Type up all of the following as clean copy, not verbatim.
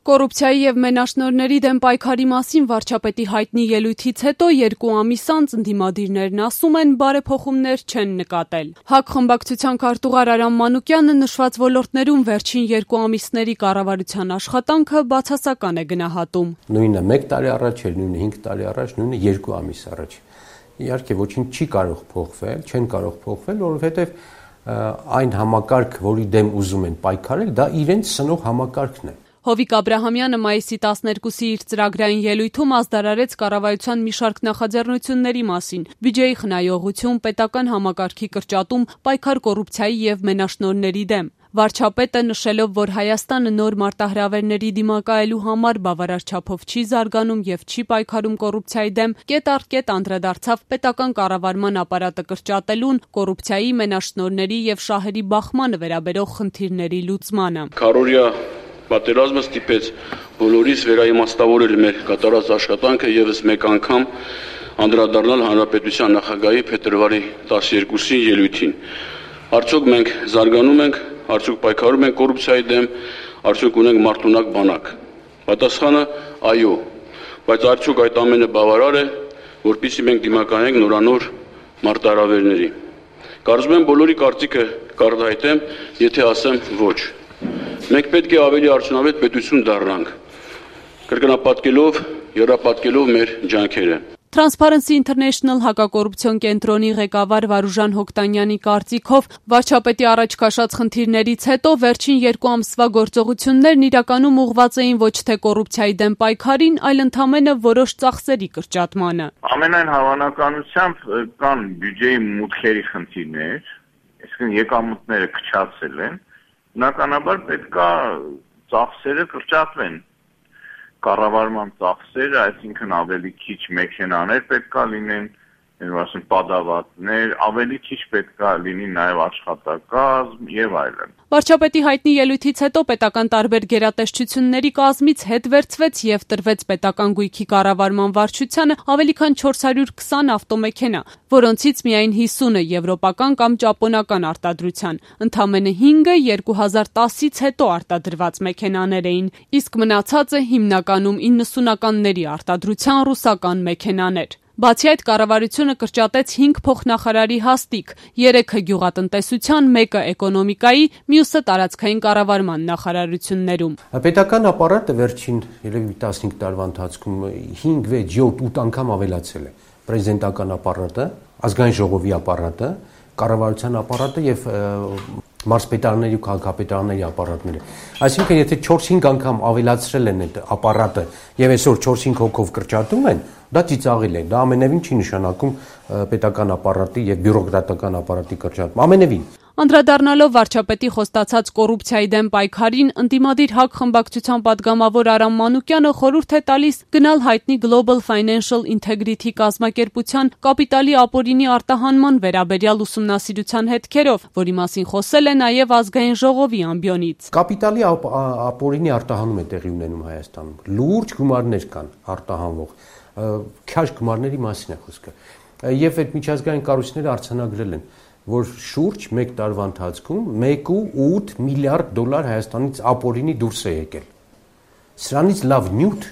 Կոռուպցիայի և մենաշնորհների դեմ պայքարի մասին վարչապետի հայտնի ելույթից հետո 2 ամիս անց ընդդիմադիրներն ասում են բարեփոխումներ չեն նկատել։ ՀԱԿ խմբակցության քարտուղար Արամ Մանուկյանը նշված ոլորտներում վերջին 2 ամիսների կառավարության աշխատանքը բացասական է գնահատում։ Նույնը 1 տարի առաջ էր, նույնը 5 տարի առաջ, նույնը 2 ամիս առաջ։ Իհարկե ոչինչ չի կարող փոխվել, չեն կարող փոխվել, որովհետև այն համակարգ, որի դեմ ուզում են պայքարել, դա իրենց սնող համակարգն է։ Հովիկ Աբրահամյանը մայիսի 12-ի իր ծրագրային ելույթում ազդարարեց կառավարության մի շարք նախաձեռնությունների մասին՝ բյուջեի խնայողություն, պետական համակարգի կրճատում, պայքար կոռուպցիայի և մենաշնորհների դեմ։ Վարչապետը նշելով, որ Հայաստանը նոր մարտահրավերների դիմակայելու համար բավարար չափով չի զարգանում և չի պայքարում կոռուպցիայի դեմ, կետ առ կետ անդրադարձավ պետական կառավարման ապարատը կրճատելուն, կոռուպցիայի, մենաշնորհների և շահերի բախմանը վերաբերող խնդիրների լուծմանը։ Պատերազմը ստիպեց բոլորիս վերաիմաստավորել մեր կատարած աշխատանքը ևս մեկ անգամ անդրադառնալ Հանրապետության նախագահի փետրվարի 12-ի ելույթին։ Արդյոք մենք զարգանում ենք, արդյոք պայքարում ենք կոռուպցիայի դեմ, արդյոք ունենք մարտունակ բանակ։ Պատասխանը՝ այո, բայց արդյոք այդ ամենը բավարար է, որպեսզի մենք դիմակայենք նորանոր մարտահրավերների։ Կարծում եմ բոլորի կարծիքը կարտահայտեմ, եթե ասեմ ոչ։ Մենք պետք է ավելի արդյունավետ պետություն դառնանք, կրկնապատկելով, եռապատկելով մեր ջանքերը։ Transparency International հակակոռուպցիոն կենտրոնի ղեկավար Վարուժան Հոկտանյանի կարծիքով վարչապետի առաջ քաշած խնդիրներից հետո վերջին 2 ամսվա գործողություններն իրականում ուղղված էին ոչ թե կոռուպցիայի դեմ պայքարին, այլ ընդամենը որոշ ծախսերի կրճատմանը։ Ամենայն հավանականությամբ կան բյուջեի մուտքերի խնդիրներ, այսինքն եկամուտները քչացել են, բնականաբար պետք է ծախսերը կրճատվեն։ Կառավարման ծախսերը, այսինքն ավելի քիչ մեքենաներ պետք է լինեն, պատավատներ, ավելի քիչ պետք է լինի նաև աշխատակազմ եւ այլն։ Վարչապետի հայտնի ելույթից հետո պետական տարբեր գերատեսչությունների կազմից հետ վերցվեց եւ տրվեց պետական գույքի կառավարման վարչությանը ավելի քան 420 ավտոմեքենա, որոնցից միայն 50-ը եվրոպական կամ ճապոնական արտադրության, ընդամենը 5-ը 2010-ից հետո արտադրված մեքենաներ էին, իսկ մնացածը հիմնականում 90-ականների արտադրության ռուսական մեքենաներ։ Բացի այդ, կառավարությունը կրճատեց 5 փոխնախարարի հաստիք, 3-ը գյուղատնտեսության, 1-ը էկոնոմիկայի, մյուսը տարածքային կառավարման նախարարություններում։ Պետական ապարատը վերջին 15 տարվա ընթացքում 5, 6, 7, 8 անգամ ավելացել է։ Պրեզիդենտական ապարատը, ազգային ժողովի ապարատը, կառավարության ապարատը եւ մարզպետարանների ու քաղաքապետարանների ապարատները։ Այսինքն, եթե 4-5 անգամ ավելացրել են այդ ապարատը եւ այսօր 4-5 հոգով կրճատում են, դա ծիծաղել է։ Դա ամենևին չի նշանակում պետական ապարատի եւ բյուրոկրատական ապարատի կրճատում։ Ամենևին։ Անդրադառնալով վարչապետի խոստացած կոռուպցիայի դեմ պայքարին, ընդդիմադիր ՀԱԿ խմբակցության պատգամավոր Արամ Մանուկյանը խորհուրդ է տալիս գնալ հայտնի Global Financial Integrity կազմակերպության կապիտալի ապօրինի արտահանման վերաբերյալ ուսումնասիրության հետքերով, որի մասին խոսել է նաև ազգային ժողովի ամբիոնից։ Կապիտալի ապօրինի արտահանում է տեղի ունենում Հայաստանում։ Լուրջ գումարներ կան արտահանվող, քաշ գումարների մասին է խոսքը։ Եվ այդ միջազգային կառույցները արձանագրել են, որ շուրջ 1 տարվա ընթացքում 1.8 միլիարդ դոլար Հայաստանից ապօրինի դուրս է եկել։ Սրանից լավ նյութ,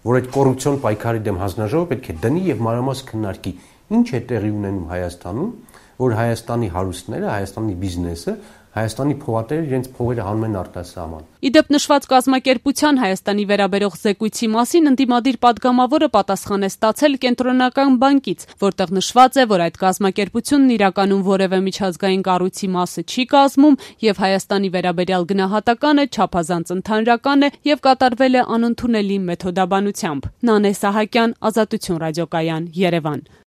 որ այդ կոռուպցիոն պայքարի դեմ հանձնաժողովը պետք է դնի եւ մանրամասն քննարկի, ինչ է տեղի ունենում Հայաստանում, որ Հայաստանի հարուստները, Հայաստանի բիզնեսը, Հայաստանի փողատերը իրենց փողերը հանում են արտասահման։ Իդեպ նշված կազմակերպության Հայաստանի վերաբերող զեկույցի մասին ընդդիմադիր պատգամավորը պատասխան է ստացել Կենտրոնական բանկից, որտեղ նշված է, որ այդ կազմակերպությունն իրականում որևէ միջազգային կառույցի մասը չի կազմում եւ Հայաստանի վերաբերյալ գնահատականը չափազանց ընդհանրական է եւ կատարվել է անընդունելի մեթոդաբանությամբ։ Նանե Սահակյան, Ազատություն ռադիոկայան, Երևան։